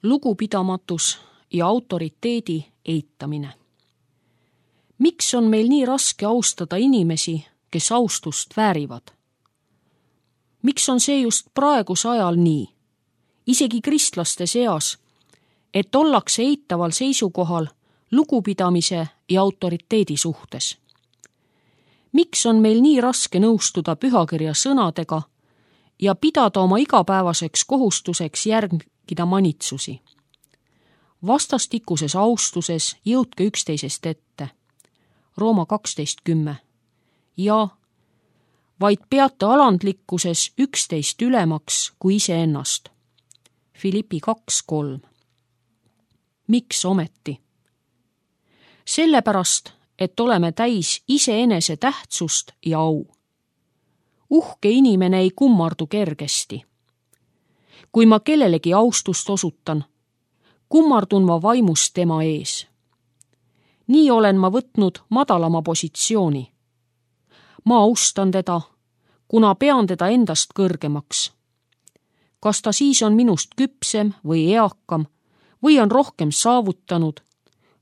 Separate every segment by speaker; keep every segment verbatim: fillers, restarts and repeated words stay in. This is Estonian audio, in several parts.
Speaker 1: lugupidamatus ja autoriteedi eitamine. Miks on meil nii raske austada inimesi, kes austust väärivad? Miks on see just praeguse ajal nii, isegi kristlaste seas, et ollakse eitaval seisukohal lugupidamise ja autoriteedi suhtes? Miks on meil nii raske nõustuda pühakirja sõnadega ja pidada oma igapäevaseks kohustuseks järgida manitsusi? Vastastikuses austuses jõudke üksteisest ette. Rooma kaksteist kümme. Ja vaid peate alandlikkuses üksteist ülemaks kui iseennast. Filippi kaks kolm. Miks ometi? Sellepärast, et oleme täis iseenese tähtsust ja au. Uhke inimene ei kummardu kergesti. Kui ma kellelegi austust osutan, kummardun ma vaimus tema ees. Nii olen ma võtnud madalama positsiooni. Ma austan teda, kuna pean teda endast kõrgemaks. Kas ta siis on minust küpsem või eakam, või on rohkem saavutanud,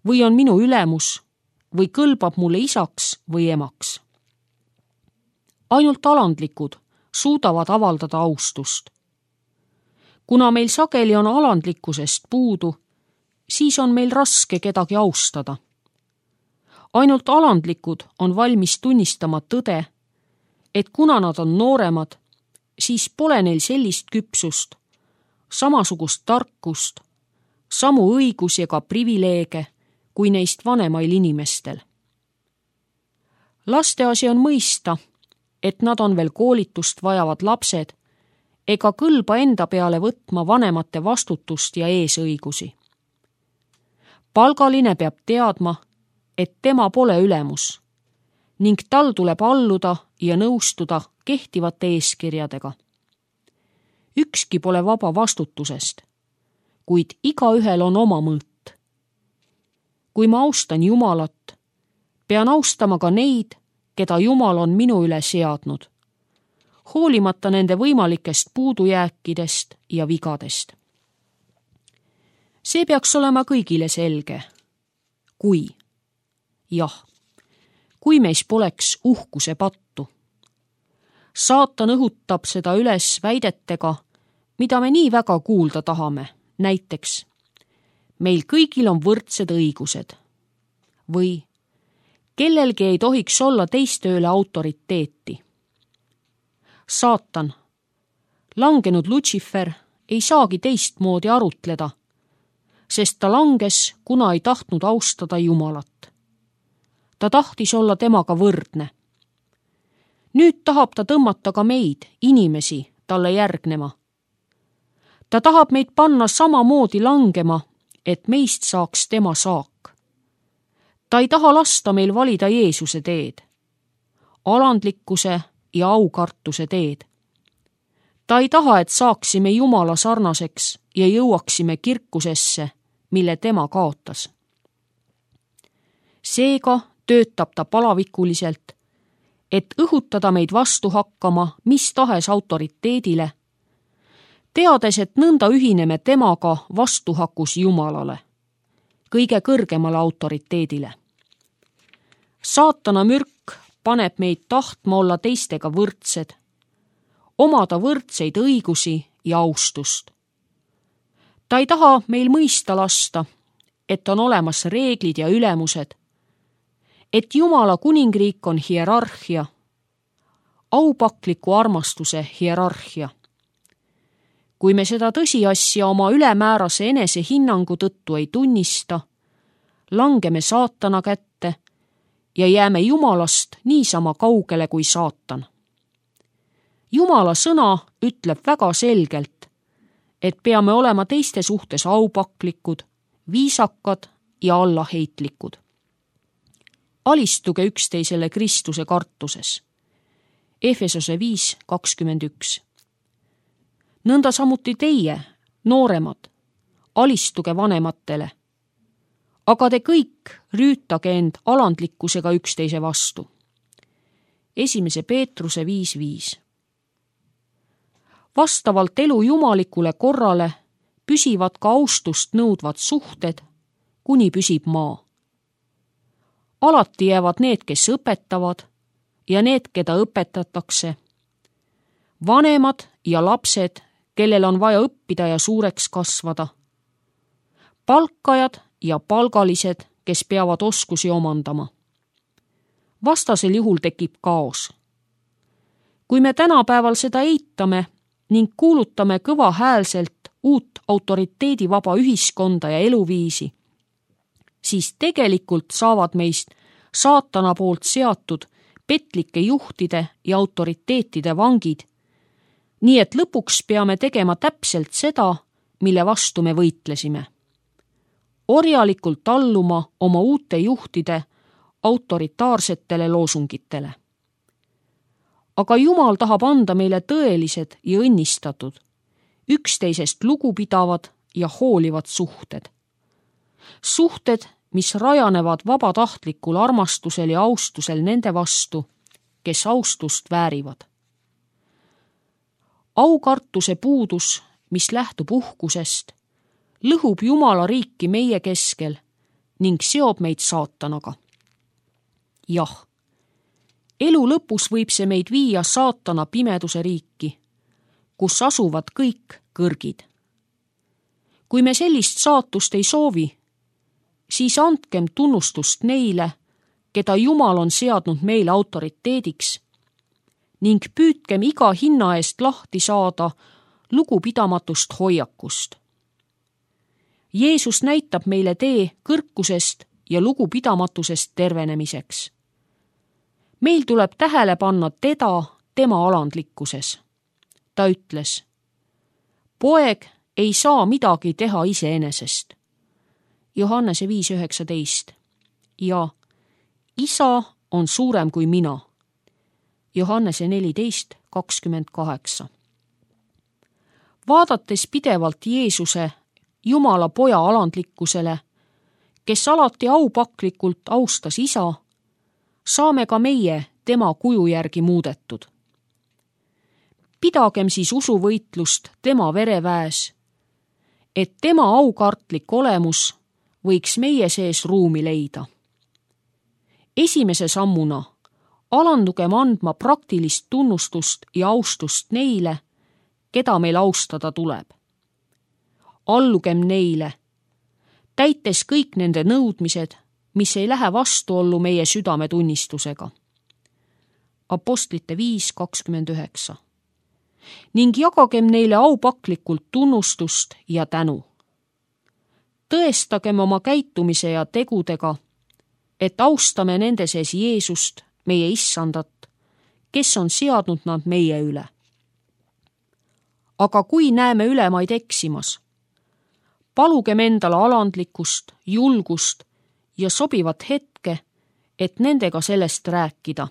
Speaker 1: või on minu ülemus, või kõlbab mulle isaks või emaks. Ainult alandlikud suudavad avaldada austust. Kuna meil sageli on alandlikkusest puudu, siis on meil raske kedagi austada. Ainult alandlikud on valmis tunnistama tõde, et kuna nad on nooremad, siis pole neil sellist küpsust, samasugust tarkust, samu õigusi ega privileege kui neist vanemail inimestel. Laste asi on mõista, et nad on veel koolitust vajavad lapsed ega kõlba enda peale võtma vanemate vastutust ja eesõigusi. Palgaline peab teadma, et tema pole ülemus ning tal tuleb alluda ja nõustuda kehtivate eeskirjadega. Ükski pole vaba vastutusest, kuid igaühel on oma mõõt. Kui ma austan Jumalat, pean austama ka neid, keda Jumal on minu üle seadnud, hoolimata nende võimalikest puudujääkidest ja vigadest. See peaks olema kõigile selge, kui, jah, kui meis poleks uhkuse pattu. Saatan õhutab seda üles väidetega, mida me nii väga kuulda tahame, näiteks meil kõigil on võrdsed õigused või kellelgi ei tohiks olla teiste üle autoriteeti. Saatan, langenud Lutsifer, ei saagi teistmoodi arutleda, sest ta langes, kuna ei tahtnud austada Jumalat. Ta tahtis olla temaga võrdne. Nüüd tahab ta tõmmata ka meid, inimesi, talle järgnema. Ta tahab meid panna samamoodi langema, et meist saaks tema saak. Ta ei taha lasta meil valida Jeesuse teed, alandlikkuse ja aukartuse teed. Ta ei taha, et saaksime Jumala sarnaseks ja jõuaksime kirkusesse, mille tema kaotas. Seega töötab ta palavikuliselt, et õhutada meid vastu hakkama mis tahes autoriteedile, teades, et nõnda ühineme temaga vastuhakus Jumalale, kõige kõrgemale autoriteedile. Saatana mürk paneb meid tahtma olla teistega võrdsed, omada võrdseid õigusi ja austust. Ta ei taha meil mõista lasta, et on olemas reeglid ja ülemused, et Jumala kuningriik on hierarhia, aupakliku armastuse hierarhia. Kui me seda tõsiasja oma ülemäärase enesehinnangu tõttu ei tunnista, langeme saatana kätte ja jääme Jumalast niisama kaugele kui saatan. Jumala sõna ütleb väga selgelt, et peame olema teiste suhtes aupaklikud, viisakad ja allaheitlikud. Alistuge üksteisele Kristuse kartuses. Efesose viis kakskümmend üks. Nõnda samuti teie, nooremad, alistuge vanematele, aga te kõik rüütage end alandlikkusega üksteise vastu. Esimese Peetruse viis viis. Vastavalt elu jumalikule korrale püsivad ka austust nõudvad suhted, kuni püsib maa. Alati jäävad need, kes õpetavad ja need, keda õpetatakse, vanemad ja lapsed, kellel on vaja õppida ja suureks kasvada, palkajad ja palgalised, kes peavad oskusi omandama. Vastasel juhul tekib kaos. Kui me tänapäeval seda eitame ning kuulutame kõvahäälselt uut autoriteedivaba ühiskonda ja eluviisi, siis tegelikult saavad meist saatana poolt seatud petlike juhtide ja autoriteetide vangid, nii et lõpuks peame tegema täpselt seda, mille vastu me võitlesime. Orjalikult alluma oma uute juhtide autoritaarsetele loosungitele. Aga Jumal tahab anda meile tõelised ja õnnistatud, üksteisest lugupidavad ja hoolivad suhted. Suhted, mis rajanevad vabatahtlikul armastusel ja austusel nende vastu, kes austust väärivad. Aukartuse puudus, mis lähtub uhkusest, lõhub Jumala riiki meie keskel ning seob meid saatanaga. Jah, elu lõpus võib see meid viia saatana pimeduse riiki, kus asuvad kõik kõrgid. Kui me sellist saatust ei soovi, siis andkem tunnustust neile, keda Jumal on seadnud meile autoriteediks, ning püüdkem iga hinna eest lahti saada lugupidamatust hoiakust. Jeesus näitab meile tee kõrkusest ja lugupidamatusest tervenemiseks. Meil tuleb tähele panna teda tema alandlikkuses. Ta ütles, poeg ei saa midagi teha iseenesest. Johannese viis üheksateist ja isa on suurem kui mina. Johannese neliteist kakskümmend kaheksa. Vaadates pidevalt Jeesuse Jumala poja alandlikkusele, kes alati aupaklikult austas isa, saame ka meie tema kuju järgi muudetud. Pidagem siis usuvõitlust tema vereväes, et tema aukartlik olemus võiks meie sees ruumi leida. Esimese sammuna alandugem andma praktilist tunnustust ja austust neile, keda meil austada tuleb. Allugem neile, täites kõik nende nõudmised, mis ei lähe vastuollu meie südametunnistusega. Apostlite viis kakskümmend üheksa. Ning jagagem neile aupaklikult tunnustust ja tänu. Tõestagem oma käitumise ja tegudega, et austame nende sees Jeesust, meie issandat, kes on seadnud nad meie üle. Aga kui näeme ülemaid eksimas, palugem endale alandlikkust, julgust ja sobivat hetke, et nendega sellest rääkida.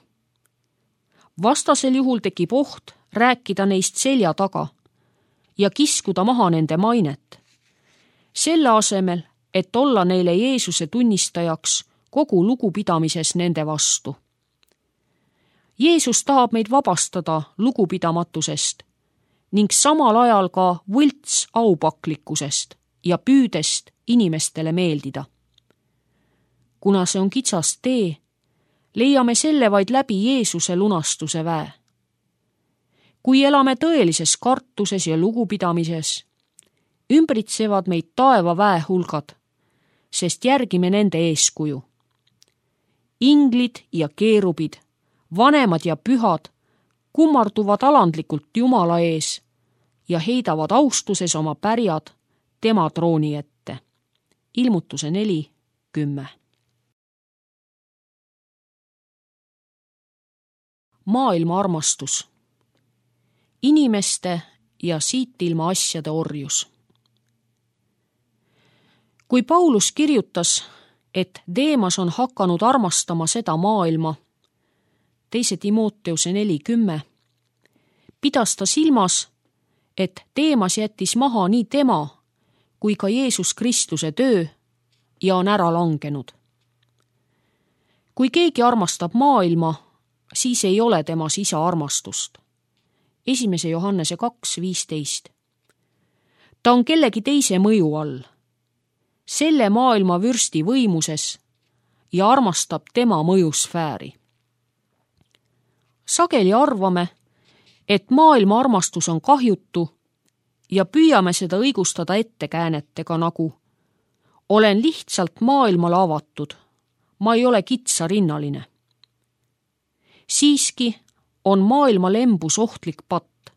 Speaker 1: Vastasel juhul tekib oht rääkida neist selja taga ja kiskuda maha nende mainet. Selle asemel, et olla neile Jeesuse tunnistajaks kogu lugupidamises nende vastu. Jeesus tahab meid vabastada lugupidamatusest ning samal ajal ka võlts aupaklikkusest ja püüdest inimestele meeldida. Kuna see on kitsas tee, leiame selle vaid läbi Jeesuse lunastuse väe. Kui elame tõelises kartuses ja lugupidamises, ümbritsevad meid taeva väe hulgad, sest järgime nende eeskuju. Inglid ja keerubid, vanemad ja pühad kummarduvad alandlikult Jumala ees ja heidavad austuses oma pärjad tema trooni ette. Ilmutuse neli kümme. Maailma armastus. Inimeste ja siit ilma asjade orjus. Kui Paulus kirjutas, et Deemas on hakanud armastama seda maailma, teise Timoteuse neli kümme, pidas ta silmas, et Deemas jättis maha nii tema kui ka Jeesus Kristuse töö ja on ära langenud. Kui keegi armastab maailma, siis ei ole temas isa armastust. Esimese Johannese kaks viisteist. ta on kellegi teise mõju all, selle maailma vürsti võimuses ja armastab tema mõjusfääri. Sageli arvame, et maailma armastus on kahjutu ja püüame seda õigustada ettekäänetega nagu olen lihtsalt maailmale avatud, ma ei ole kitsarinnaline. Siiski on maailma lembus ohtlik patt.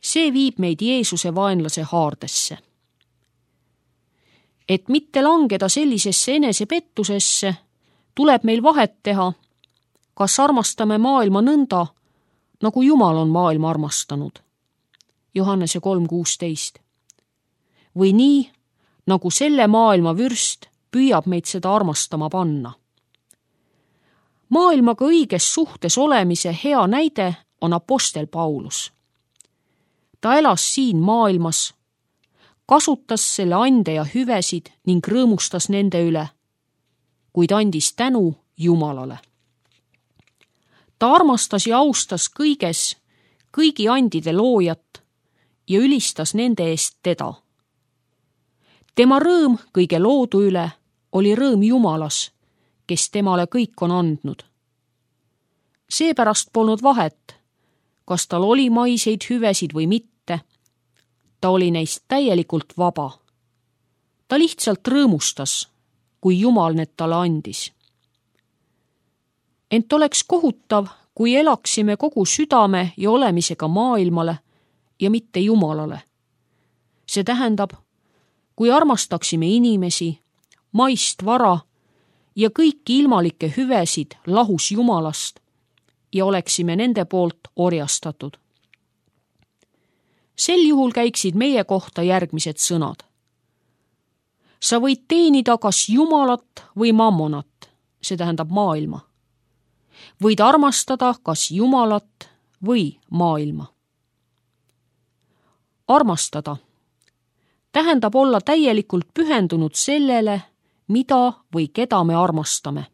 Speaker 1: See viib meid Jeesuse vaenlase haardesse. Et mitte langeda sellisesse enesepettusesse, tuleb meil vahet teha, kas armastame maailma nõnda, nagu Jumal on maailma armastanud. Johannese kolm kuusteist. Või nii, nagu selle maailma vürst püüab meid seda armastama panna. Maailmaga õiges suhtes olemise hea näide on apostel Paulus. Ta elas siin maailmas, kasutas selle ande ja hüvesid ning rõõmustas nende üle, kuid andis tänu Jumalale. Ta armastas ja austas kõiges kõigi andide loojat ja ülistas nende eest teda. Tema rõõm kõige loodu üle oli rõõm Jumalas, kes temale kõik on andnud. Seepärast polnud vahet, kas tal oli maiseid hüvesid või mitte, ta oli neist täielikult vaba. Ta lihtsalt rõõmustas, kui Jumal need talle andis. Ent oleks kohutav, kui elaksime kogu südame ja olemisega maailmale ja mitte Jumalale. See tähendab, kui armastaksime inimesi, maist vara ja kõiki ilmalikke hüvesid lahus Jumalast ja oleksime nende poolt orjastatud. Sel juhul käiksid meie kohta järgmised sõnad. Sa võid teenida kas Jumalat või mammonat, see tähendab maailma. Võid armastada kas Jumalat või maailma. Armastada tähendab olla täielikult pühendunud sellele, mida või keda me armastame.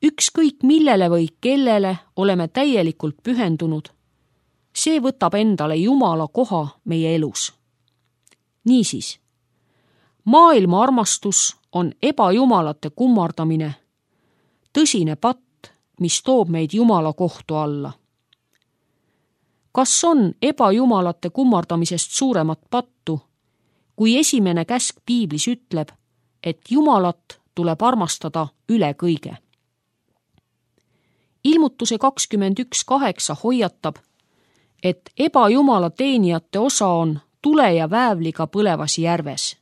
Speaker 1: Ükskõik millele või kellele oleme täielikult pühendunud, see võtab endale Jumala koha meie elus. Niisiis, maailma armastus on ebajumalate kummardamine, tõsine patt, mis toob meid Jumala kohtu alla. Kas on ebajumalate kummardamisest suuremat pattu, kui esimene käsk piiblis ütleb, et Jumalat tuleb armastada üle kõige? Ilmutuse kakskümmend üks kaheksa hoiatab, et ebajumala teenijate osa on tule ja väävliga põlevas järves.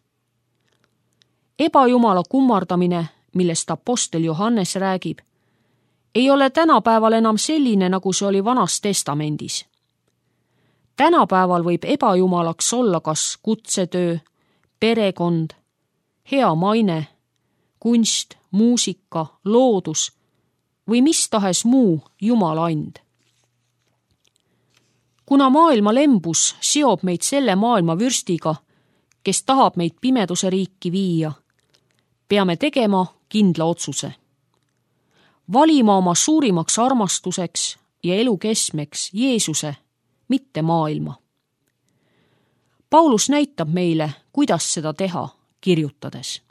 Speaker 1: Ebajumala kummardamine, millest apostel Johannes räägib, ei ole tänapäeval enam selline, nagu see oli Vanas Testamendis. Tänapäeval võib ebajumalaks olla kas kutsetöö, perekond, hea maine, kunst, muusika, loodus või mis tahes muu Jumala and. Kuna maailma lembus seob meid selle maailma vürstiga, kes tahab meid pimeduse riiki viia, peame tegema kindla otsuse. Valima oma suurimaks armastuseks ja elu keskmeks Jeesuse, mitte maailma. Paulus näitab meile, kuidas seda teha, kirjutades.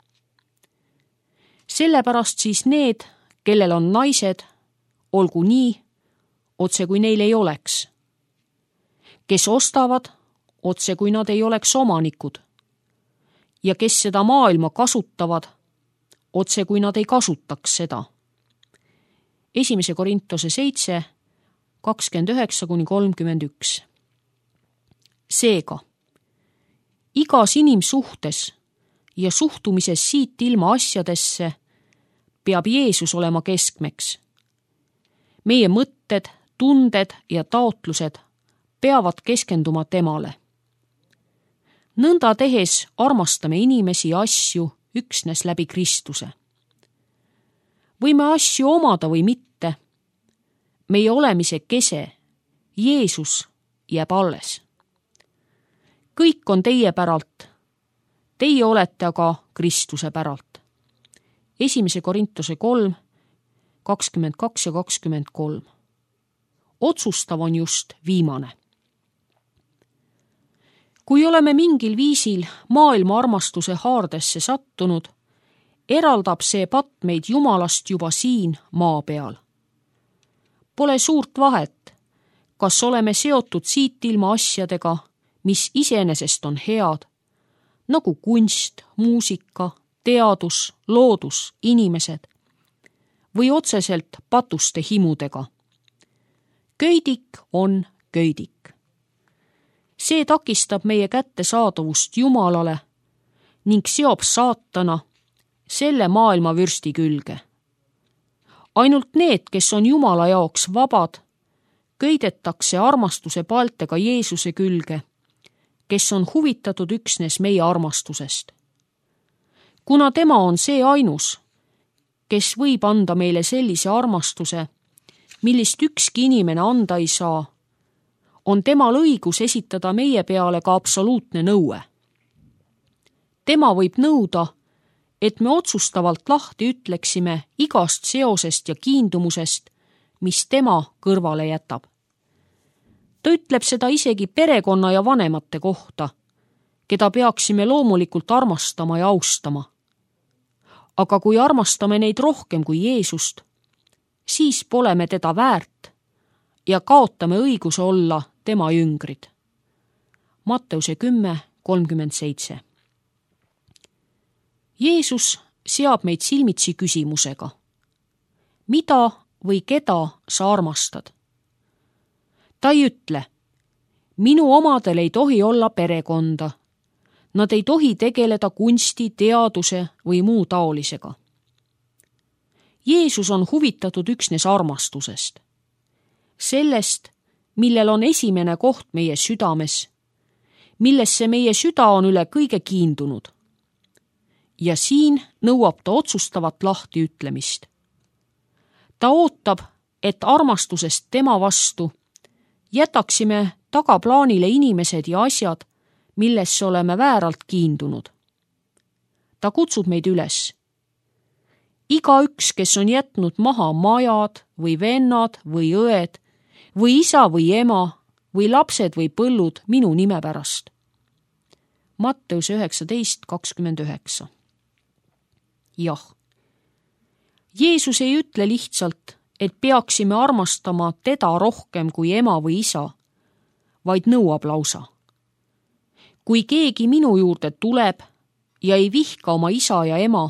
Speaker 1: Sellepärast siis need, kellel on naised, olgu nii, otse kui neil ei oleks. Kes ostavad, otse kui nad ei oleks omanikud. Ja kes seda maailma kasutavad, otse kui nad ei kasutaks seda. Esimese Korintuse seitse, kakskümmend üheksa kuni kolmkümmend üks. Seega, igas inimsuhtes ja suhtumises siit ilma asjadesse peab Jeesus olema keskmeks. Meie mõtted, tunded ja taotlused peavad keskenduma temale. Nõnda tehes armastame inimesi ja asju üksnes läbi Kristuse. Võime asju omada või mitte. Meie olemise kese, Jeesus, jääb alles. Kõik on teie päralt. Teie olete aga Kristuse päralt. Esimese Korintuse kolm, kakskümmend kaks ja kakskümmend kolm. Otsustav on just viimane. kui oleme mingil viisil maailma armastuse haardesse sattunud, eraldab see patt meid Jumalast juba siin maa peal. Pole suurt vahet, kas oleme seotud siit ilma asjadega, mis iseenesest on head, nagu kunst, muusika, teadus, loodus, inimesed, või otseselt patuste himudega. Köidik on köidik. See takistab meie kättesaadavust Jumalale ning seob saatana selle maailma vürsti külge. Ainult need, kes on Jumala jaoks vabad, köidetakse armastuse paltega Jeesuse külge, kes on huvitatud üksnes meie armastusest. Kuna tema on see ainus, kes võib anda meile sellise armastuse, millist ükski inimene anda ei saa, on temal õigus esitada meie peale ka absoluutne nõue. Tema võib nõuda, et me otsustavalt lahti ütleksime igast seosest ja kiindumusest, mis tema kõrvale jätab. Ta ütleb seda isegi perekonna ja vanemate kohta, keda peaksime loomulikult armastama ja austama. Aga kui armastame neid rohkem kui Jeesust, siis pole me teda väärt ja kaotame õiguse olla tema jüngrid. Matteuse kümme kolmkümmend seitse. Jeesus seab meid silmitsi küsimusega. Mida või keda sa armastad? Ta ei ütle, minu omadel ei tohi olla perekonda. Nad ei tohi tegeleda kunsti, teaduse või muu taolisega. Jeesus on huvitatud üksnes armastusest. Sellest, millel on esimene koht meie südames, millesse meie süda on üle kõige kiindunud. Ja siin nõuab ta otsustavat lahtiütlemist. Ta ootab, et armastusest tema vastu jätaksime tagaplaanile inimesed ja asjad, millesse oleme vääralt kiindunud. Ta kutsub meid üles. Igaüks, kes on jätnud maha majad või vennad või õed või isa või ema või lapsed või põllud minu nime pärast. Matteus üheksateist kakskümmend üheksa. Jah. Jeesus ei ütle lihtsalt, et peaksime armastama teda rohkem kui ema või isa, vaid nõuab lausa. Kui keegi minu juurde tuleb ja ei vihka oma isa ja ema,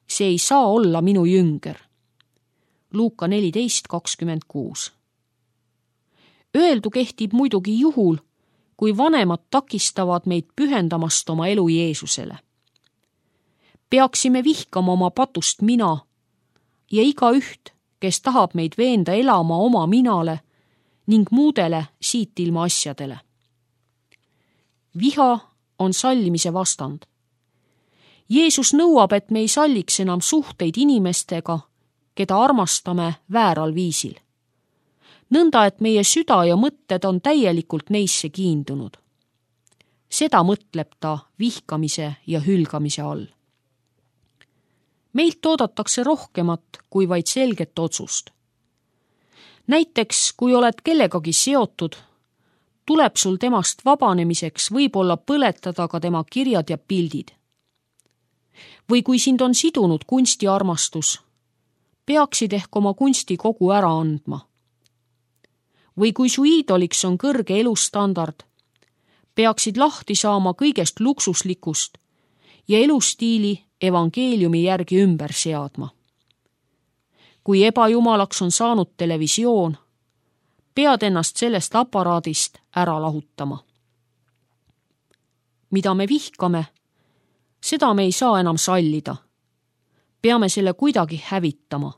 Speaker 1: see ei saa olla minu jünger. Luuka neliteist kakskümmend kuus. Öeldu kehtib muidugi juhul, kui vanemad takistavad meid pühendamast oma elu Jeesusele. Peaksime vihkama oma patust mina ja igaüht, kes tahab meid veenda elama oma minale ning muudele siit ilma asjadele. Viha on sallimise vastand. Jeesus nõuab, et me ei salliks enam suhteid inimestega, keda armastame vääral viisil. Nõnda, et meie süda ja mõtted on täielikult neisse kiindunud. Seda mõtleb ta vihkamise ja hülgamise all. Meilt oodatakse rohkemat kui vaid selget otsust. Näiteks, kui oled kellegagi seotud, tuleb sul temast vabanemiseks võib-olla põletada ka tema kirjad ja pildid. Või kui sind on sidunud kunstiarmastus, peaksid ehk oma kunsti kogu ära andma. Või kui su iidoliks on kõrge elustandard, peaksid lahti saama kõigest luksuslikust ja elustiili evangeeliumi järgi ümber seadma. Kui ebajumalaks on saanud televisioon, pead ennast sellest aparaadist ära lahutama. Mida me vihkame, seda me ei saa enam sallida. Peame selle kuidagi hävitama.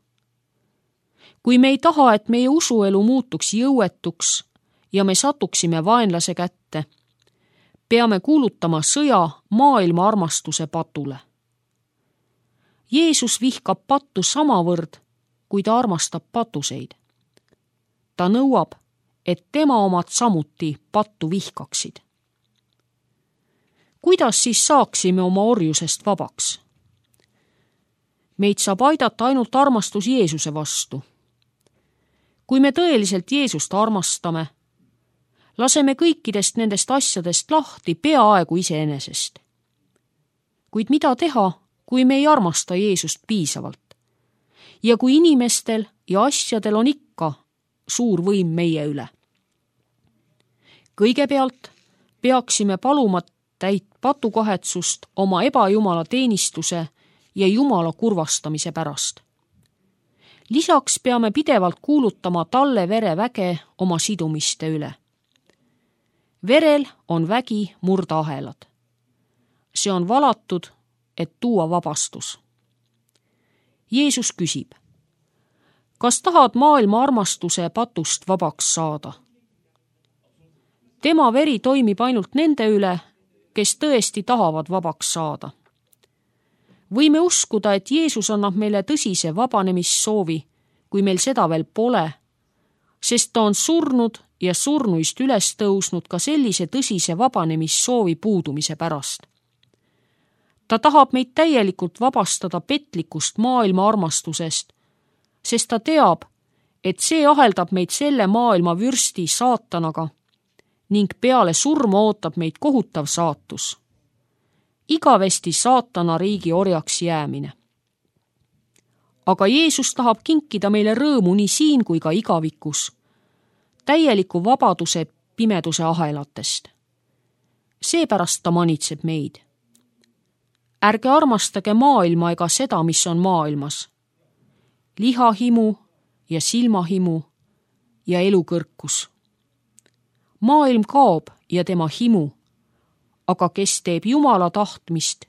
Speaker 1: Kui me ei taha, et meie usuelu muutuks jõuetuks ja me satuksime vaenlase kätte, peame kuulutama sõja maailma armastuse patule. Jeesus vihkab pattu samavõrd, kui ta armastab patuseid. Ta nõuab, et tema omad samuti pattu vihkaksid. Kuidas siis saaksime oma orjusest vabaks? Meid saab aidata ainult armastus Jeesuse vastu. Kui me tõeliselt Jeesust armastame, laseme kõikidest nendest asjadest lahti peaaegu iseenesest. Kuid mida teha, kui me ei armasta Jeesust piisavalt? Ja kui inimestel ja asjadel on ikka suur võim meie üle? Kõigepealt peaksime paluma täit patukahetsust oma ebajumala teenistuse ja Jumala kurvastamise pärast. Lisaks peame pidevalt kuulutama talle vere väge oma sidumiste üle. Verel on vägi murda ahelad. See on valatud, et tuua vabastus. Jeesus küsib, kas tahad maailma armastuse patust vabaks saada? Tema veri toimib ainult nende üle, kes tõesti tahavad vabaks saada. Võime uskuda, et Jeesus annab meile tõsise vabanemissoovi, kui meil seda veel pole, sest ta on surnud ja surnuist üles tõusnud ka sellise tõsise vabanemissoovi puudumise pärast. Ta tahab meid täielikult vabastada petlikust maailma armastusest, sest ta teab, et see aheldab meid selle maailma vürsti saatanaga ning peale surma ootab meid kohutav saatus. Igavesti saatana riigi orjaks jäämine. Aga Jeesus tahab kinkida meile rõõmu nii siin kui ka igavikus, täieliku vabaduse pimeduse ahelatest. Seepärast ta manitseb meid. Ärge armastage maailma ega seda, mis on maailmas. Lihahimu ja silmahimu ja elukõrkus. Maailm kaob ja tema himu, aga kes teeb Jumala tahtmist,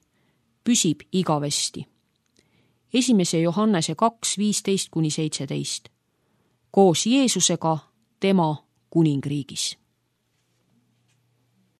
Speaker 1: püsib igavesti. Esimese Johannese kaks, viisteist kuni seitseteist. Koos Jeesusega tema kuningriigis.